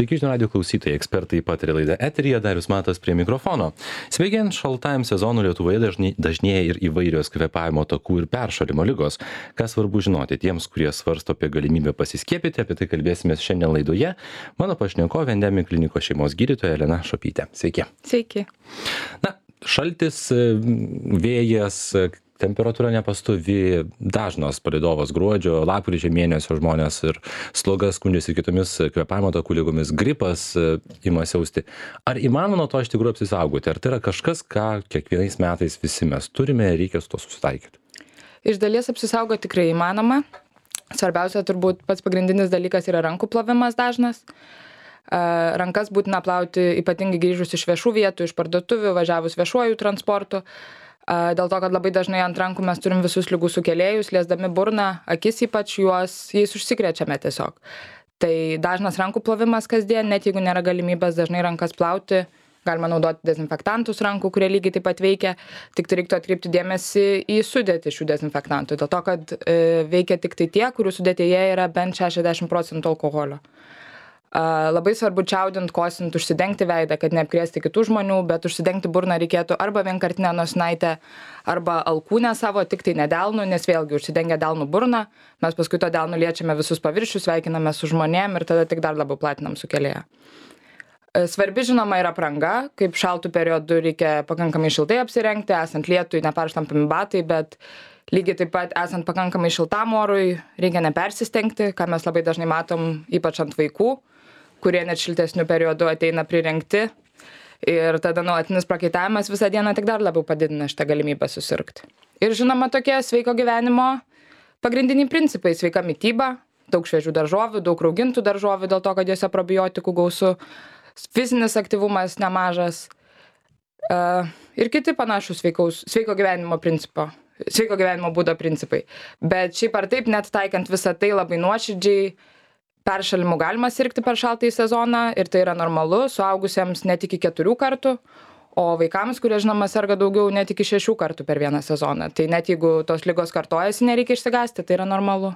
Sveiki, žinių radijo klausytojai, ekspertai pataria laidą eteryje, Darius Matas prie mikrofono. Sveikiant šaltajam sezonui Lietuvoje dažnėja ir įvairios kvėpavimo takų ir peršalimo ligos. Kas svarbu žinoti tiems, kurie svarsto apie galimybę pasiskiepyti, apie tai kalbėsime šiandien laidoje. Mano pašnekovė Endemik klinikos šeimos gydytoja Elena Šopytė. Sveiki. Sveiki. Na, šaltis, vėjas, temperatūra nepastovi, dažnas palydovas gruodžio, lapkričio mėnesio žmonės ir sloga skundžiasi kitomis kvėpavimo takų lygomis, gripas ima siausti. Ar įmanoma nuo to iš tikrųjų apsisaugoti? Ar tai yra kažkas, ką kiekvienais metais visi mes turime ir reikia su to susitaikyti? Iš dalies apsisaugoti tikrai įmanoma. Svarbiausia turbūt pats pagrindinis dalykas yra rankų plovimas dažnas. Rankas būtina plauti ypatingai grįžus iš viešų vietų, iš parduotuvių, važiavus viešuoju transportu. Dėl to, kad labai dažnai ant rankų mes turim visus ligų sukėlėjus, liesdami burną, akis ypač jais užsikrečiame tiesiog. Tai dažnas rankų plovimas kasdien, net jeigu nėra galimybės dažnai rankas plauti, galima naudoti dezinfektantus rankų, kurie lygiai taip pat veikia, tik tai reiktų atkreipti dėmesį į sudėtį šių dezinfektantų, dėl to, kad veikia tik tai tie, kurių sudėtyje yra bent 60% alkoholio. Labai svarbu čiaudint, kosint, užsidengti veidą, kad neapkrėsti kitų žmonių, bet užsidengti burną reikėtų arba vienkartinę nosinaitę, arba alkūnę savo, tik tai ne delnu, nes vėlgi užsidengę delnų burną, mes paskui to delnu liečiame visus paviršius, sveikiname su žmonėm ir tada tik dar labiau platinam sukėlėją. Svarbi žinoma yra apranga, kaip šaltų periodų reikia pakankamai šiltai apsirengti, esant lietui neperšlampami batai, bet lygiai taip pat esant pakankamai šiltam orui reikia nepersistengti, ką mes labai dažnai matom ypač ant vaikų, kurie net šiltesnių periodų ateina prirengti ir tada nuolatinis prakaitavimas visą dieną tik dar labiau padidina šitą galimybę susirgti. Ir žinoma tokie sveiko gyvenimo pagrindiniai principai: sveika mityba, daug šviežių daržovių, daug raugintų daržovių dėl to, kad jose probiotikų gausu, fizinis aktyvumas nemažas ir kiti panašūs sveiko gyvenimo būdo principai. Bet šiaip ar taip, net taikant visą tai labai nuoširdžiai, peršalimu galima sirgti per šaltąjį sezoną ir tai yra normalu, suaugusiems net iki 4 kartų, o vaikams, kurie žinoma serga daugiau, net iki 6 kartų per vieną sezoną. Tai net jeigu tos ligos kartojasi, nereikia išsigąsti, tai yra normalu.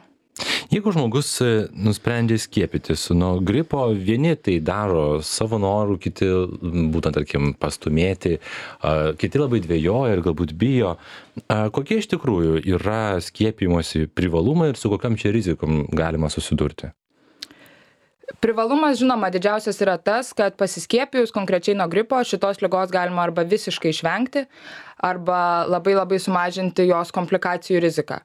Jeigu žmogus nusprendžia skiepytis nuo gripo, vieni tai daro savo norų, kiti būtent, tarkim, pastumėti, kiti labai dvejoja ir galbūt bijo. Kokie iš tikrųjų yra skiepijimosi privalumai ir su kokiam čia rizikom galima susidurti? Privalumas, žinoma, didžiausias yra tas, kad pasiskiepijus konkrečiai nuo gripo šitos ligos galima arba visiškai išvengti, arba labai sumažinti jos komplikacijų riziką.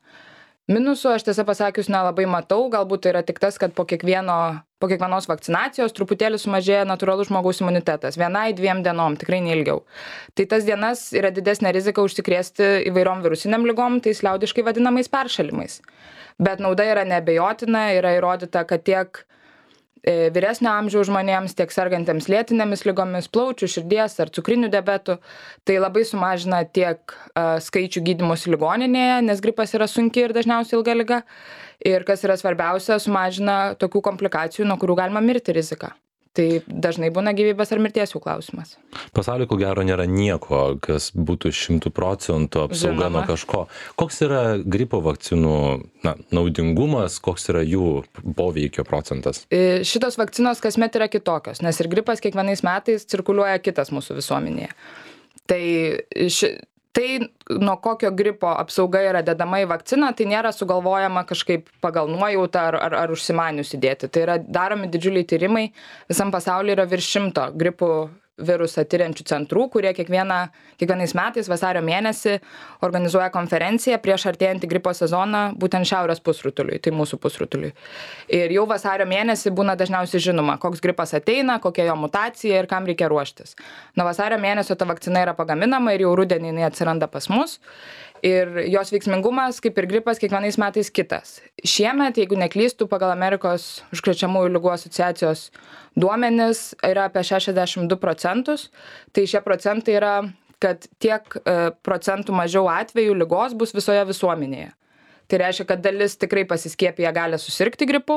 Minusų aš tiesą pasakius nelabai matau, galbūt tai yra tik tas, kad po kiekvienos vakcinacijos truputėlį sumažėja natūralus žmogaus imunitetas. 1-2 dienom, tikrai neilgiau. Tai tas dienas yra didesnė rizika užsikrėsti įvairiom virusiniam ligom, tais liaudiškai vadinamais peršalimais. Bet nauda yra neabejotina, yra įrodyta, kad tiek vyresnio amžiaus žmonėms, tiek sergantiems lėtinėmis ligomis, plaučių, širdies ar cukriniu diabetu, tai labai sumažina tiek skaičių gydymosi ligoninėje, nes gripas yra sunki ir dažniausiai ilga liga. Ir kas yra svarbiausia, sumažina tokių komplikacijų, nuo kurių galima mirti riziką. Tai dažnai būna gyvybės ar mirties jų klausimas. Pasaulyje ko gero nėra nieko, kas būtų 100% apsauga nuo kažko. Koks yra gripo vakcinų naudingumas, koks yra jų poveikio procentas? Šitos vakcinos kasmet yra kitokios, nes ir gripas kiekvienais metais cirkuliuoja kitas mūsų visuomenėje. Tai nuo kokio gripo apsauga yra dedama į vakciną, tai nėra sugalvojama kažkaip pagal nuojautą ar užsimanius įdėti. Tai yra daromi didžiuliai tyrimai, visam pasaulyje yra virš 100 gripų virusą tyriančių centrų, kurie kiekvienais metais vasario mėnesį organizuoja konferenciją prieš artėjantį gripo sezoną būtent šiaurės pusrutuliui, tai mūsų pusrutuliui. Ir jau vasario mėnesį būna dažniausiai žinoma, koks gripas ateina, kokia jo mutacija ir kam reikia ruoštis. Nuo vasario mėnesio ta vakcina yra pagaminama ir jau rudenį jinai atsiranda pas mus. Ir jos veiksmingumas, kaip ir gripas, kiekvienais metais kitas. Šiemet, jeigu neklystų, pagal Amerikos užkrečiamųjų ligų asociacijos duomenis yra apie 62%. Tai šie procentai yra, kad tiek procentų mažiau atvejų ligos bus visoje visuomenėje. Tai reiškia, kad dalis tikrai pasiskiepiję gali susirgti gripu,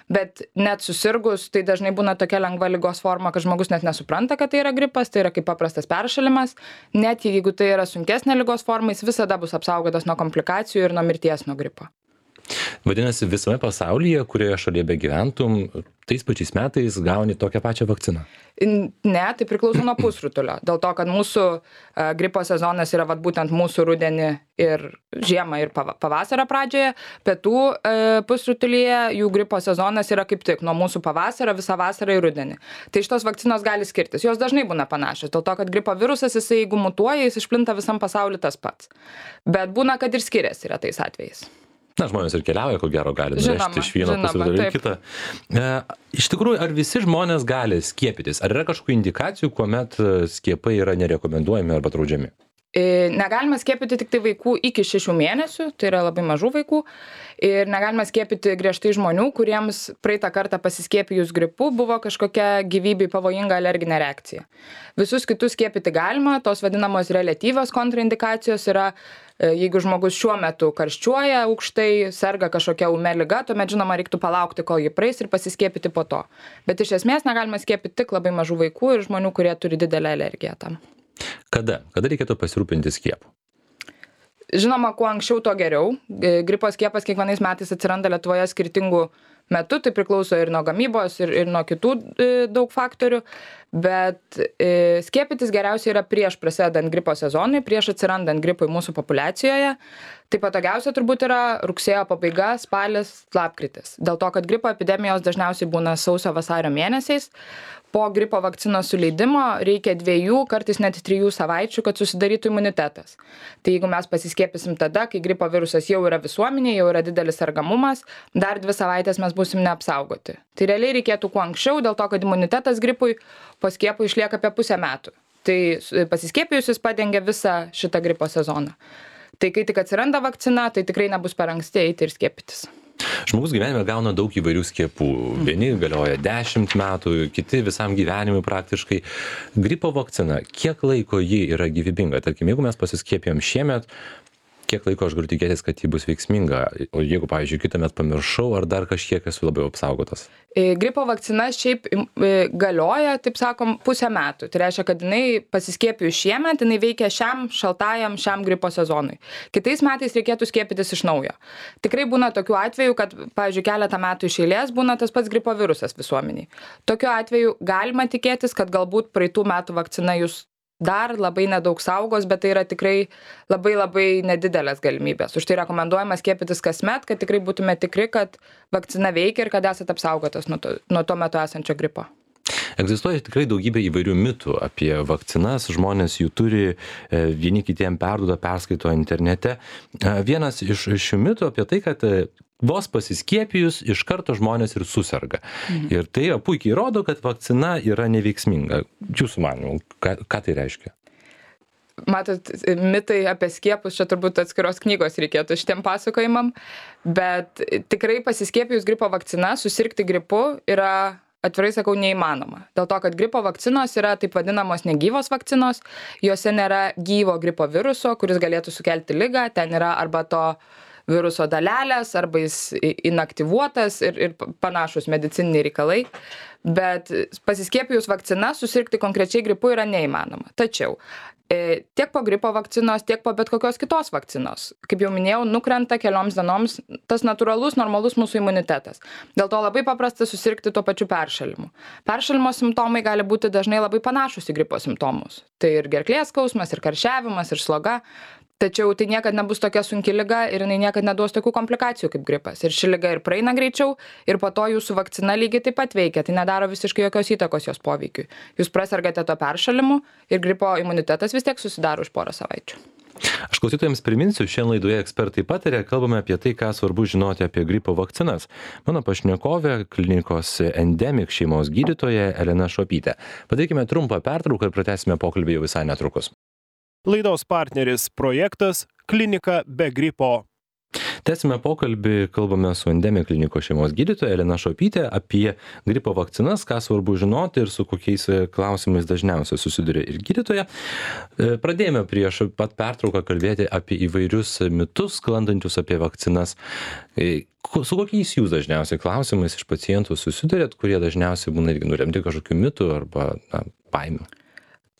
bet net susirgus, tai dažnai būna tokia lengva ligos forma, kad žmogus net nesupranta, kad tai yra gripas, tai yra kaip paprastas peršalimas. Net jeigu tai yra sunkesnė ligos forma, jis visada bus apsaugotas nuo komplikacijų ir nuo mirties nuo gripo. Vadinasi, visame pasaulyje, kurioje šalyje begyventum, tais pačiais metais gauni tokią pačią vakciną. Ne, tai priklauso nuo pusrutulio. Dėl to, kad mūsų gripo sezonas yra būtent mūsų rudenį ir žiemą ir pavasario pradžioje, pietų pusrutulyje jų gripo sezonas yra kaip tik nuo mūsų pavasario visą vasarą ir rudenį. Tai šitos vakcinos gali skirtis. Jos dažnai būna panašios, dėl to, kad gripo virusas, jisai jeigu mutuoja, jis išplinta visam pasauliu tas pats. Bet būna, kad ir skiriasi retais atvejais. Na, žmonės ir keliauja, ko gero gali nuvežti iš vieno pusrutulio į kitą. Iš tikrųjų, ar visi žmonės gali skiepytis? Ar yra kažkokių indikacijų, kuomet skiepai yra nerekomenduojami arba draudžiami? Negalima skiepyti tik tai vaikų iki 6 mėnesių, tai yra labai mažų vaikų. Ir negalima skiepyti griežtai žmonių, kuriems praeitą kartą pasiskiepijus gripu buvo kažkokia gyvybei pavojinga alerginė reakcija. Visus kitus skiepyti galima, tos vadinamos reliatyvios kontraindikacijos yra, jeigu žmogus šiuo metu karščiuoja aukštai, serga kažkokia ūmia liga, tuomet žinoma reiktų palaukti, kol ji praeis ir pasiskiepyti po to. Bet iš esmės negalima skiepyti tik labai mažų vaikų ir žmonių, kurie turi didelę alergiją tam. Kada reikėtų pasirūpinti skiepu? Žinoma, kuo anksčiau, to geriau. Gripo skiepas kiekvienais metais atsiranda Lietuvoje skirtingų metų, tai priklauso ir nuo gamybos, ir nuo kitų daug faktorių, bet skiepytis geriausiai yra prieš prasidedant gripo sezonui, prieš atsirandant gripui mūsų populiacijoje. Tai patogiausia turbūt yra rugsėjo pabaiga, spalis, lapkritis. Dėl to, kad gripo epidemijos dažniausiai būna sausio-vasario mėnesiais. Po gripo vakcinos suleidimo reikia 2, kartais net 3 savaičių, kad susidarytų imunitetas. Tai jeigu mes pasiskiepysim tada, kai gripo virusas jau yra visuomenėje, jau yra didelis sergamumas, dar 2 savaitės mes būsim neapsaugoti. Tai realiai reikėtų kuo anksčiau, dėl to, kad imunitetas gripui po skiepų išlieka apie pusę metų. Tai pasiskiepijus jis padengia visą šitą gripo sezoną. Tai kai tik atsiranda vakcina, tai tikrai nebus per anksti eiti ir skiepytis. Žmogus gyvenime gauna daug įvairių skiepų. Vieni galioja 10 metų, kiti visam gyvenimui praktiškai. Gripo vakcina, kiek laiko ji yra gyvybinga? Tarkim, jeigu mes pasiskiepijom šiemet, kiek laiko aš galiu tikėtis, kad ji bus veiksminga? O jeigu, pavyzdžiui, kitąmet pamiršau, ar dar kažkiek esu labiau apsaugotas? Gripo vakcina šiaip galioja, taip sakom, pusę metų. Tai reiškia, kad jinai pasiskiepijus šiemet, jinai veikia šiam gripo sezonui. Kitais metais reikėtų skiepytis iš naujo. Tikrai būna tokių atvejų, kad, pavyzdžiui, keletą metų iš eilės būna tas pats gripo virusas visuomeniai. Tokiu atveju galima tikėtis, kad galbūt praeitų metų vakcina jūs dar labai nedaug saugos, bet tai yra tikrai labai nedidelės galimybės. Už tai rekomenduojama skiepytis kasmet, kad tikrai būtume tikri, kad vakcina veikia ir kad esate apsaugotas nuo tuo metu esančio gripo. Egzistuoja tikrai daugybė įvairių mitų apie vakcinas, žmonės jų turi, vieni kitiem perduoda, perskaito internete. Vienas iš šių mitų apie tai, kad vos pasiskiepijus iš karto žmonės ir suserga. Ir tai puikiai rodo, kad vakcina yra neveiksminga. Jūsų manymu, ką tai reiškia? Matot, mitai apie skiepus, čia turbūt atskiros knygos reikėtų šitiem pasakojimam, bet tikrai pasiskiepijus gripo vakcina, susirgti gripu yra, atvirai sakau, neįmanoma. Dėl to, kad gripo vakcinos yra taip vadinamos negyvos vakcinos, juose nėra gyvo gripo viruso, kuris galėtų sukelti ligą, ten yra arba to viruso dalelės, arba jis inaktyvuotas ir panašus medicininiai reikalai. Bet pasiskiepijus vakcina susirgti konkrečiai gripu yra neįmanoma. Tačiau tiek po gripo vakcinos, tiek po bet kokios kitos vakcinos, kaip jau minėjau, nukrenta kelioms dienoms tas natūralus, normalus mūsų imunitetas. Dėl to labai paprasta susirgti tuo pačiu peršalimu. Peršalimo simptomai gali būti dažnai labai panašus į gripo simptomus. Tai ir gerklės skausmas, ir karščiavimas, ir sloga. Tačiau tai niekad nebus tokia sunki liga ir jinai niekad neduos tokių komplikacijų kaip gripas. Ir ši liga ir praeina greičiau, ir po to jūsų vakcina lygiai taip pat veikia. Tai nedaro visiškai jokios įtakos jos poveikiui. Jūs prasergate to peršalimu ir gripo imunitetas vis tiek susidaro už porą savaičių. Aš klausytojams priminsiu, šiandien laidoje ekspertai patarė, kalbame apie tai, ką svarbu žinoti apie gripo vakcinas. Mano pašnekovė, klinikos Endemic šeimos gydytoja Elena Šuopytė. Padarykime trumpą pertrauką ir pratęsime pokalbį jau visai netrukus. Laidos partneris projektas Klinika be gripo. Tęsime pokalbį, kalbame su Endemic klinikos šeimos gydytoja Elena Šuopytė apie gripo vakcinas, ką svarbu žinoti ir su kokiais klausimais dažniausiai susiduria ir gydytoja. Pradėjome prieš pat pertrauką kalbėti apie įvairius mitus, sklandančius apie vakcinas. Su kokiais jūs dažniausiai klausimais iš pacientų susidurėt, kurie dažniausiai būna irgi nuremti kažkokių mitų arba baimių?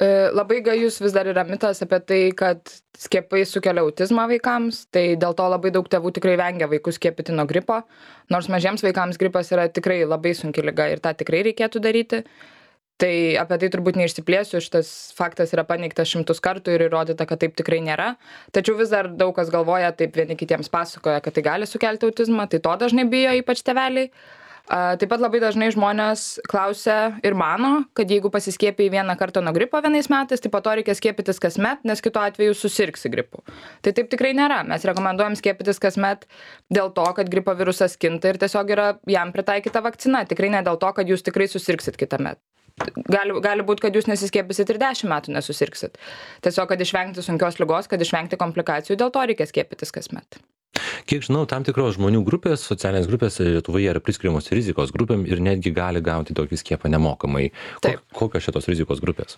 Labai gajus vis dar yra mitas apie tai, kad skiepai sukelia autizmą vaikams, tai dėl to labai daug tėvų tikrai vengia vaikus skiepyti nuo gripo, nors mažiems vaikams gripas yra tikrai labai sunki liga ir tą tikrai reikėtų daryti. Tai apie tai turbūt neišsiplėsiu, šitas faktas yra paneigtas 100 kartų ir įrodyta, kad taip tikrai nėra. Tačiau vis dar daug kas galvoja, taip vieni kitiems pasakoja, kad tai gali sukelti autizmą, tai to dažnai bijo, ypač tėveliai. Taip pat labai dažnai žmonės klausia ir mano, kad jeigu pasiskiepijai vieną kartą nuo gripo vienais metais, tai po to reikia skiepytis kasmet, nes kitu atveju susirgsi gripu. Tai taip tikrai nėra. Mes rekomenduojam skiepytis kasmet dėl to, kad gripo virusas kinta ir tiesiog yra jam pritaikyta vakcina. Tikrai ne dėl to, kad jūs tikrai susirgsit kitąmet. Gali būti, kad jūs nesiskiepysit ir 10 metų nesusirgsit. Tiesiog, kad išvengti sunkios ligos, kad išvengti komplikacijų, dėl to reikia skiepytis kasmet. Kiek žinau, tam tikros žmonių grupės, socialinės grupės Lietuvoje yra priskiriamos rizikos grupėm ir netgi gali gauti tokį skiepą nemokamai. Kokios šitos rizikos grupės?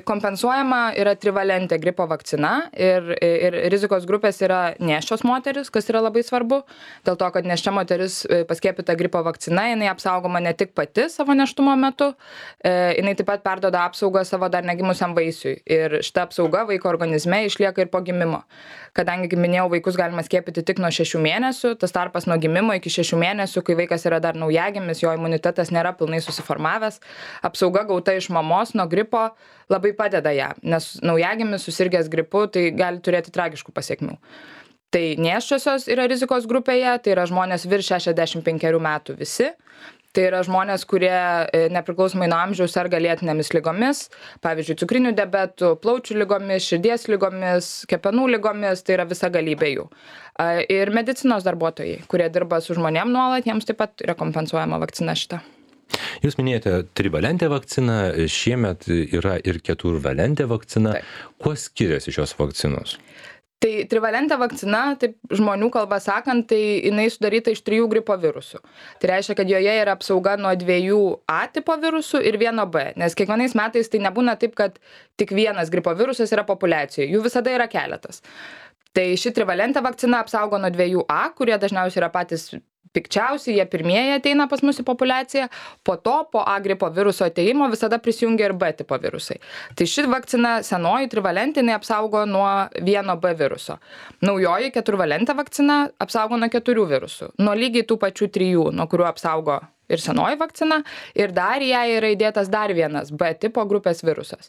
Kompensuojama yra trivalentė gripo vakcina ir rizikos grupės yra nėščios moteris, kas yra labai svarbu. Dėl to, kad nėščia moteris paskiepyta gripo vakcina, jinai apsaugoma ne tik pati savo nėštumo metu, jinai taip pat perduoda apsaugą savo dar negimusiam vaisiui. Ir šita apsauga vaiko organizme išlieka ir po gimimo. Kadangi, kaip minėjau, vaikus galima skiepyti tik nuo 6 mėnesių, tas tarpas nuo gimimo iki 6 mėnesių, kai vaikas yra dar naujagimis, jo imunitetas nėra pilnai susiformavęs, apsauga gauta iš mamos nuo gripo labai padeda ją, nes naujagimis susirgęs gripu tai gali turėti tragiškų pasiekmių. Tai nėščiosios yra rizikos grupėje, tai yra žmonės virš 65 metų visi. Tai yra žmonės, kurie nepriklausomai nuo amžiaus serga lėtinėmis ligomis, pavyzdžiui, cukriniu diabetu, plaučių ligomis, širdies ligomis, kepenų ligomis, tai yra visa galybė jų. Ir medicinos darbuotojai, kurie dirba su žmonėm nuolat, jiems taip pat yra kompensuojama vakcina šita. Jūs minėjote trivalentę vakciną, šiemet yra ir keturvalentė vakcina. Taip. Kuo skiriasi šios vakcinos? Tai trivalentė vakcina, taip žmonių kalba sakant, tai jinai sudaryta iš 3 gripo virusų. Tai reiškia, kad joje yra apsauga nuo 2 A tipo virusų ir 1 B, nes kiekvienais metais tai nebūna taip, kad tik vienas gripo virusas yra populiacijoje, jų visada yra keletas. Tai ši trivalentė vakcina apsaugo nuo 2 A, kurie dažniausiai yra patys pikčiausiai, jie pirmieji ateina pas mūsų populiaciją, po to po A gripo viruso ateimo visada prisijungia ir B tipo virusai. Tai ši vakcina senoji trivalentinė apsaugo nuo 1 B viruso. Naujoji keturvalentė vakcina apsaugo nuo 4 virusų, nuo lygiai tų pačių 3, nuo kurių apsaugo ir senoji vakcina, ir dar į ją yra įdėtas dar vienas B tipo grupės virusas.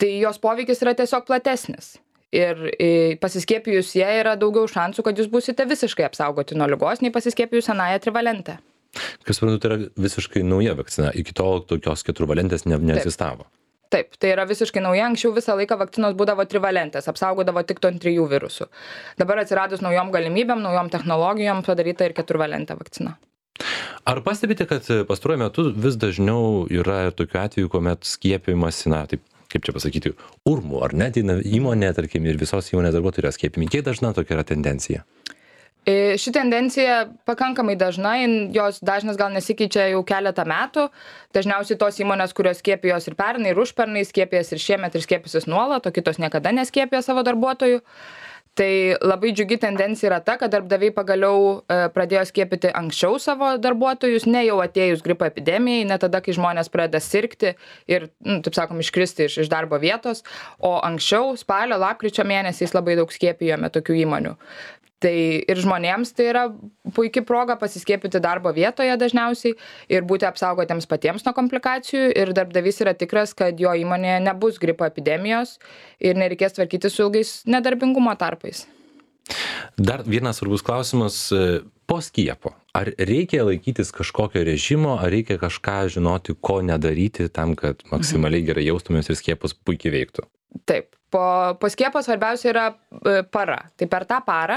Tai jos poveikis yra tiesiog platesnis. Ir pasiskiepijus jie yra daugiau šansų, kad jūs būsite visiškai apsaugoti nuo ligos, nei pasiskiepijus senąją trivalentę. Kas suprantu, tai yra visiškai nauja vakcina. Iki tol tokios keturvalentės neegzistavo. Taip, tai yra visiškai nauja. Anksčiau visą laiką vakcinos būdavo trivalentės, apsaugodavo tik nuo 3 virusų. Dabar atsiradus naujom galimybėm, naujom technologijom padaryta ir keturvalentė vakcina. Ar pastebite, kad pastaruoju metu vis dažniau yra tokių atvejų, kuomet skiepijimasi, taip, kaip čia pasakyti, urmu, ar net įmonė, tarkim, ir visos įmonės darbuotojai yra skiepimi? Kiek dažna tokia yra tendencija? Ši tendencija pakankamai dažna, jos dažnas gal nesikeičia jau keletą metų. Dažniausiai tos įmonės, kurios skiepijos ir pernai, ir užpernai, skiepijas ir šiemet ir skiepysis nuolat, o kitos niekada neskiepija savo darbuotojų. Tai labai džiugi tendencija yra ta, kad darbdaviai pagaliau pradėjo skiepyti anksčiau savo darbuotojus, ne jau atėjus gripo epidemijai, ne tada, kai žmonės pradeda sirgti ir, taip sakom, iškristi iš darbo vietos, o anksčiau, spalio, lapkričio mėnesiais labai daug skiepijome tokių įmonių. Tai ir žmonėms tai yra puikia proga pasiskiepyti darbo vietoje dažniausiai ir būti apsaugotiems patiems nuo komplikacijų, ir darbdavys yra tikras, kad jo įmonėje nebus gripo epidemijos ir nereikės tvarkyti su ilgais nedarbingumo tarpais. Dar vienas svarbus klausimas po skiepo. Ar reikia laikytis kažkokio režimo, ar reikia kažką žinoti, ko nedaryti tam, kad maksimaliai gerai jaustumės ir skiepas puikiai veiktų? Taip. Po skiepo svarbiausia yra para. Tai per tą parą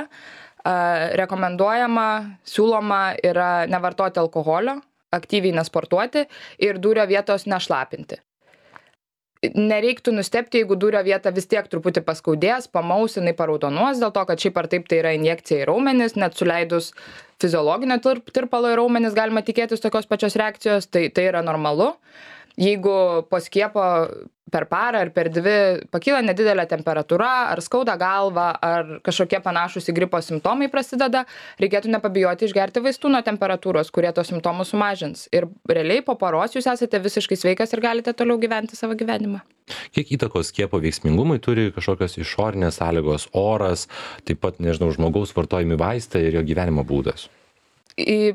rekomenduojama, siūloma yra nevartoti alkoholio, aktyviai nesportuoti ir dūrio vietos nešlapinti. Nereiktų nustebti, jeigu dūrio vieta vis tiek truputį paskaudės, pamaus, jinai paraudonuos, dėl to, kad šiaip ar taip tai yra injekcija į raumenis, net suleidus fiziologinio tirpalo į raumenis galima tikėtis tokios pačios reakcijos, tai yra normalu. Jeigu po skiepo per parą ar per 2 pakyla nedidelė temperatūra, ar skauda galva, ar kažkokie panašūs į gripo simptomai prasideda, reikėtų nepabijoti išgerti vaistų nuo temperatūros, kurie tos simptomus sumažins. Ir realiai po paros jūs esate visiškai sveikas ir galite toliau gyventi savo gyvenimą. Kiek įtakos skiepo veiksmingumui turi kažkokios išorinės sąlygos, oras, taip pat, nežinau, žmogaus vartojami vaistai ir jo gyvenimo būdas?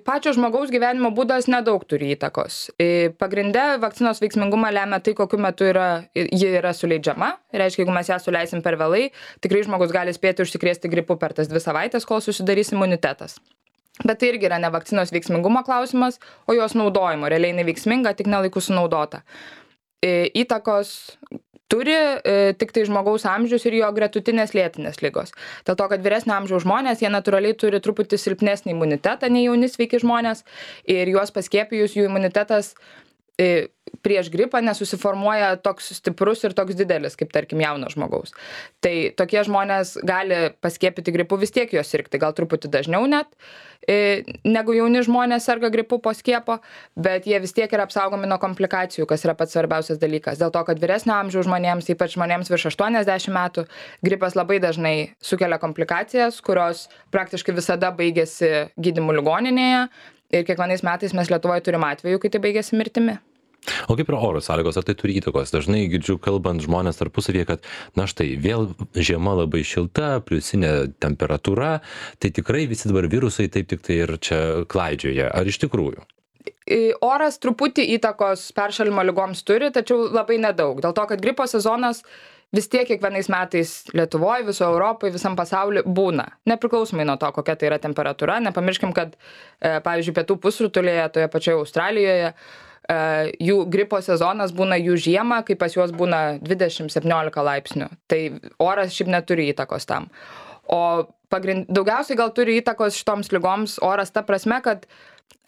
Pačio žmogaus gyvenimo būdas nedaug turi įtakos. Pagrinde vakcinos veiksmingumą lemia tai, kokiu metu ji yra suleidžiama. Reiškia, jeigu mes ją suleisim per vėlai, tikrai žmogus gali spėti užsikrėsti gripu per tas 2 savaitės, kol susidarys imunitetas. Bet tai irgi yra ne vakcinos veiksmingumo klausimas, o jos naudojimo. Realiai jinai veiksminga, tik nelaiku sunaudota. Įtakos turi tik tai žmogaus amžius ir jo gretutinės lėtinės ligos. Dėl to, kad vyresnio amžiaus žmonės, jie natūraliai turi truputį silpnesnį imunitetą nei jauni sveiki žmonės ir juos paskiepijus jų imunitetas prieš gripą nesusiformuoja toks stiprus ir toks didelis, kaip tarkim jauno žmogaus. Tai tokie žmonės gali paskiepyti gripu vis tiek juos sirgti, gal truputį dažniau net, negu jauni žmonės serga gripu po skiepo, bet jie vis tiek yra apsaugomi nuo komplikacijų, kas yra pats svarbiausias dalykas. Dėl to, kad vyresnio amžiaus žmonėms, ypač žmonėms virš 80 metų, gripas labai dažnai sukelia komplikacijas, kurios praktiškai visada baigėsi gydymu ligoninėje ir kiekvienais metais mes Lietuvoje turim atvejų, kai tai baigėsi mirtimi. O kaip yra oro sąlygos, ar tai turi įtakos? Dažnai girdžiu kalbant žmonės tarpusavyje, kad na štai vėl žiema labai šilta, pliusinė temperatūra, tai tikrai visi dabar virusai taip tik tai ir čia klaidžioja. Ar iš tikrųjų? Oras truputį įtakos peršalimo ligoms turi, tačiau labai nedaug. Dėl to, kad gripo sezonas vis tiek kiekvienais metais Lietuvoje, viso Europoje, visam pasauliu būna. Nepriklausomai nuo to, kokia tai yra temperatūra. Nepamirškim, kad, pavyzdžiui, pietų pusrutulėje, toje pačioje Australijoje, jų gripo sezonas būna jų žiemą, kai pas juos būna 20-17 laipsnių. Tai oras šiaip neturi įtakos tam. O daugiausiai gal turi įtakos šitoms ligoms oras ta prasme, kad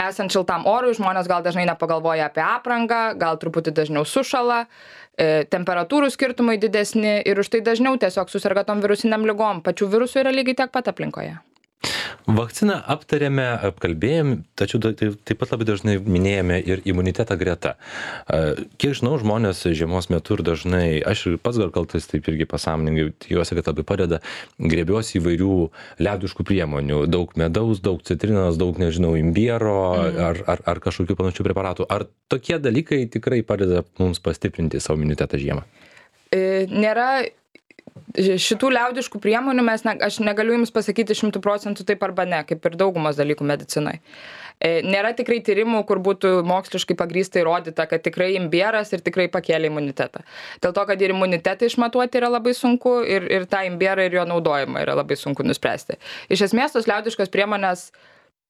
esant šiltam orui žmonės gal dažnai nepagalvoja apie aprangą, gal truputį dažniau sušala, temperatūrų skirtumai didesni ir už tai dažniau tiesiog susirga tom virusiniam ligom. Pačių virusų yra lygiai tiek pat aplinkoje. Vakciną aptarėme, apkalbėjom, tačiau taip pat labai dažnai minėjome ir imunitetą greta. Kiek žinau, žmonės žiemos metu ir dažnai, aš ir pats gal kaltas taip irgi pasąmoningai, tikiuosi, kad labai padeda, griebiuosi įvairių liaudiškų priemonių, daug medaus, daug citrinos, daug, nežinau, imbiero ar kažkokių panašių preparatų. Ar tokie dalykai tikrai padeda mums pastiprinti savo imunitetą žiemą? Nėra šitų liaudiškų priemonių, aš negaliu jums pasakyti 100% taip arba ne, kaip ir daugumos dalykų medicinai. Nėra tikrai tyrimų, kur būtų moksliškai pagrįstai įrodyta, kad tikrai imbieras ir tikrai pakėlė imunitetą. Dėl to, kad ir imunitetą išmatuoti yra labai sunku ir tą imbierą ir jo naudojimą yra labai sunku nuspręsti. Iš esmės, tos liaudiškos priemonės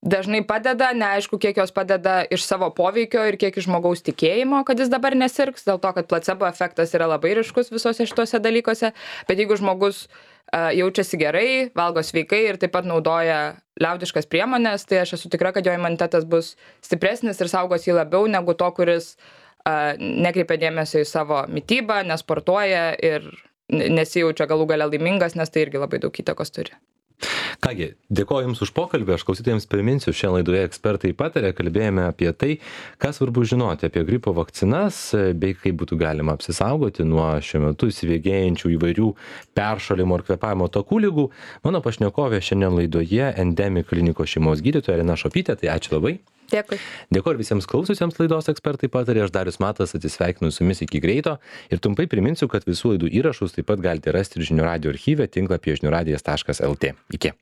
dažnai padeda, neaišku, kiek jos padeda iš savo poveikio ir kiek iš žmogaus tikėjimo, kad jis dabar nesirgs, dėl to, kad placebo efektas yra labai ryškus visose šituose dalykuose, bet jeigu žmogus jaučiasi gerai, valgo sveikai ir taip pat naudoja liaudiškas priemonės, tai aš esu tikra, kad jo imunitetas bus stipresnis ir saugos jį labiau negu to, kuris nekreipia dėmesio į savo mitybą, nesportuoja ir nesijaučia galų gale laimingas, nes tai irgi labai daug įtakos turi. Kągi, dėkoju Jums už pokalbį, aš klausytojams priminsiu, šiandien laidoje ekspertai patarė, kalbėjome apie tai, ką svarbu žinoti apie gripo vakcinas, bei kaip būtų galima apsisaugoti nuo šiuo metu įsibėgėjančių įvairių peršalimo ir kvėpavimo takų ligų. Mano pašnekovė šiandien laidoje Endemik klinikos šeimos gydytoja Irena Šopytė, tai ačiū labai. Dėkui. Dėkoju visiems klausiusiems laidos ekspertai patarė, aš Darius Matas atsisveikinu su jumis iki greito ir trumpai priminsiu, kad visų laidų įrašus taip pat galite rasti ir žinių radijo archyve tinklapyje žiniųradijas.lt. Iki.